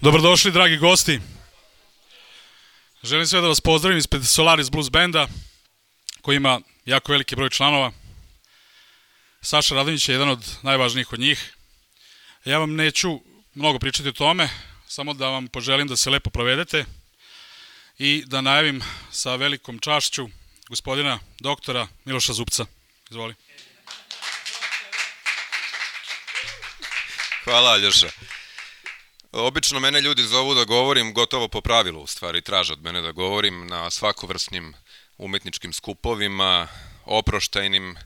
Dobrodošli, dragi gosti. Želim sve da vas pozdravim ispred Solaris Blues Benda, koji ima jako veliki broj članova. Saša Radonjić je jedan od najvažnijih od njih. Ja vam neću mnogo pričati o tome, samo da vam poželim da se lepo provedete i da najavim sa velikom čašću gospodina doktora Miloša Zupca. Izvoli. Hvala, Aljoša. Obično mene ljudi zovu da govorim gotovo po pravilu, u stvari traže od mene da govorim na svakovrsnim umetničkim skupovima, oproštajnim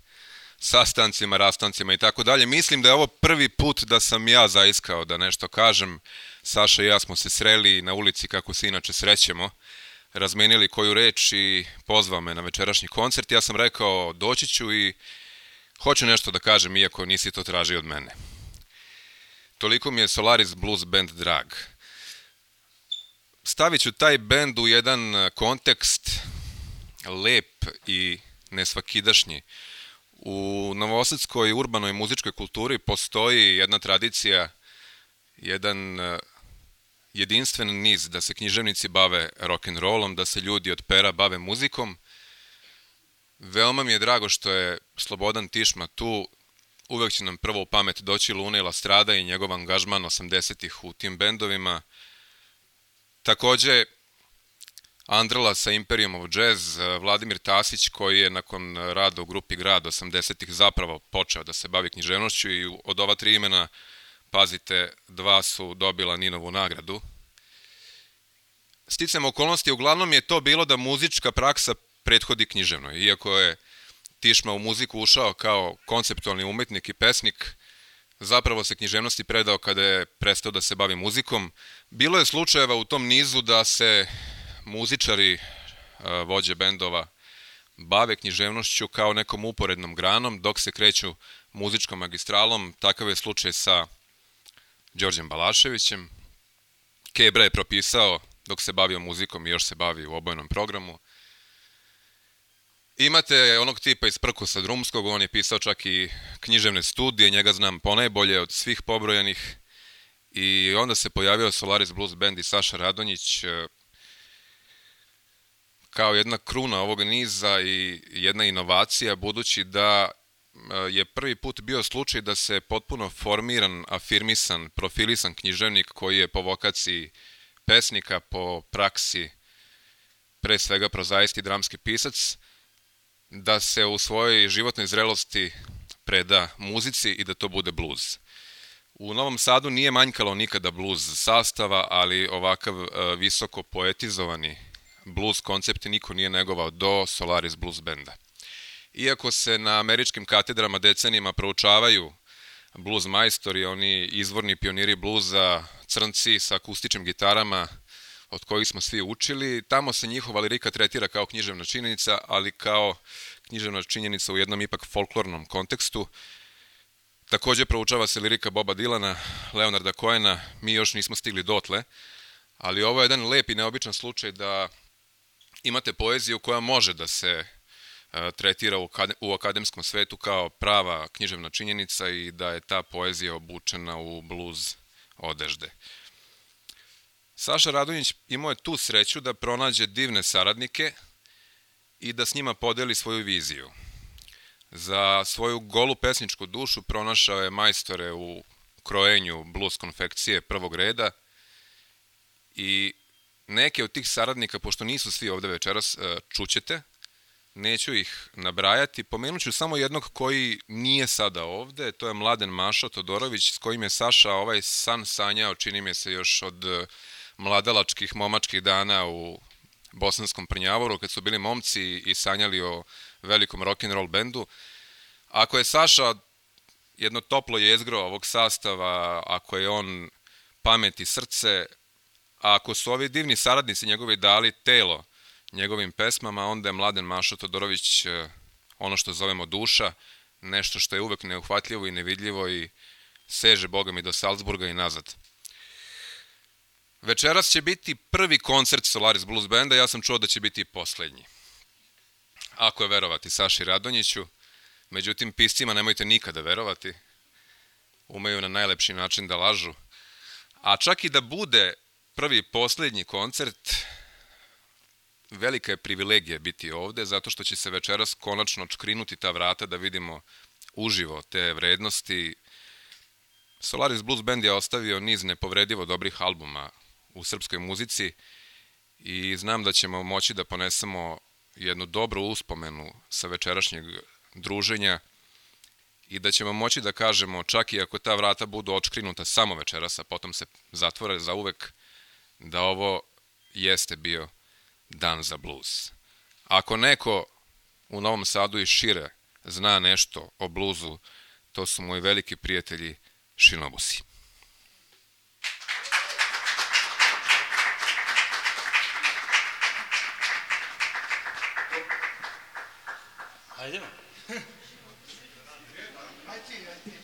sastancima, rastancima i tako dalje. Mislim da je ovo prvi put da sam ja zaiskao da nešto kažem. Saša i ja smo se sreli na ulici kako se inače srećemo, razmenili koju reč i pozvao me na večerašnji koncert. Ja sam rekao doći ću i hoću nešto da kažem, iako nisi to tražio od mene. Toliko mi je Solaris Blues Band drag. Stavit ću taj bend u jedan kontekst lep i nesvakidašnji. U novosadskoj urbanoj muzičkoj kulturi postoji jedna tradicija, jedan jedinstven niz da se književnici bave rock'n'rollom, da se ljudi od pera bave muzikom. Veoma mi je drago što je Slobodan Tišma tu. Uvek će nam prvo u pamet doći Luna i La Strada i njegov angažman 80-ih u tim bendovima. Takođe, Andrla sa Imperium of Jazz, Vladimir Tasić koji je nakon rada u grupi Grad 80-ih zapravo počeo da se bavi književnošću i od ova tri imena, pazite, dva su dobila Ninovu nagradu. Sticajem okolnosti, uglavnom je to bilo da muzička praksa prethodi književnoj, iako je Tišma u muziku ušao kao konceptualni umetnik i pesnik, zapravo se književnosti predao kada je prestao da se bavi muzikom. Bilo je slučajeva u tom nizu da se muzičari, vođe bendova, bave književnošću kao nekom uporednom granom, dok se kreću muzičkom magistralom. Takav je slučaj sa Đorđem Balaševićem. Kebra je propisao dok se bavio muzikom i još se bavi u obojenom programu. Imate onog tipa iz Prkosa Drumskog, on je pisao čak i književne studije, njega znam ponajbolje od svih pobrojanih. I onda se pojavio Solaris Blues Band i Saša Radonjić kao jedna kruna ovog niza i jedna inovacija, budući da je prvi put bio slučaj da se potpuno formiran, afirmisan, profilisan književnik koji je po vokaciji pesnika, po praksi pre svega prozaisti dramski pisac, da se u svojoj životnoj zrelosti preda muzici i da to bude bluz. U Novom Sadu nije manjkalo nikada bluz sastava, ali ovakav visoko poetizovani bluz koncept niko nije negovao do Solaris Blues Benda. Iako se na američkim katedrama decenijima proučavaju bluz majstori, oni izvorni pioniri bluza, crnci sa akustičnim gitarama, od kojih smo svi učili, tamo se njihova lirika tretira kao književna činjenica, ali kao književna činjenica u jednom ipak folklornom kontekstu. Takođe proučava se lirika Boba Dilana, Leonarda Cohena, mi još nismo stigli dotle, ali ovo je jedan lep i neobičan slučaj da imate poeziju koja može da se tretira u akademskom svetu kao prava književna činjenica i da je ta poezija obučena u bluz odežde. Saša Radonjić imao je tu sreću da pronađe divne saradnike i da s njima podeli svoju viziju. Za svoju golu pesničku dušu pronašao je majstore u krojenju bluz konfekcije prvog reda i neke od tih saradnika, pošto nisu svi ovde večeras, čućete, neću ih nabrajati, pomenuću samo jednog koji nije sada ovde, to je Mladen Mašo Todorović, s kojim je Saša ovaj san sanjao, čini mi se još od mladalačkih, momačkih dana u Bosanskom Prnjavoru, kad su bili momci i sanjali o velikom rock'n'roll bendu. Ako je Saša jedno toplo jezgro ovog sastava, ako je on pamet i srce, a ako su ovi divni saradnici njegovi dali telo njegovim pesmama, onda je Mladen Mašo Todorović ono što zovemo duša, nešto što je uvek neuhvatljivo i nevidljivo i seže, boga mi, do Salzburga i nazad. Večeras će biti prvi koncert Solaris Blues Banda, ja sam čuo da će biti i poslednji. Ako je verovati Saši Radonjiću, međutim piscima nemojte nikada verovati, umeju na najlepši način da lažu. A čak i da bude prvi i posljednji koncert. Velika je privilegija biti ovde, zato što će se večeras konačno čkrinuti ta vrata da vidimo uživo te vrednosti. Solaris Blues Band je ostavio niz nepovredivo dobrih albuma u srpskoj muzici i znam da ćemo moći da ponesemo jednu dobru uspomenu sa večerašnjeg druženja i da ćemo moći da kažemo, čak i ako ta vrata budu odškrinuta samo večeras, a potom se zatvore za uvek, da ovo jeste bio dan za blues. Ako neko u Novom Sadu i šire zna nešto o bluzu, to su moji veliki prijatelji Šinobusi. Hajdemo.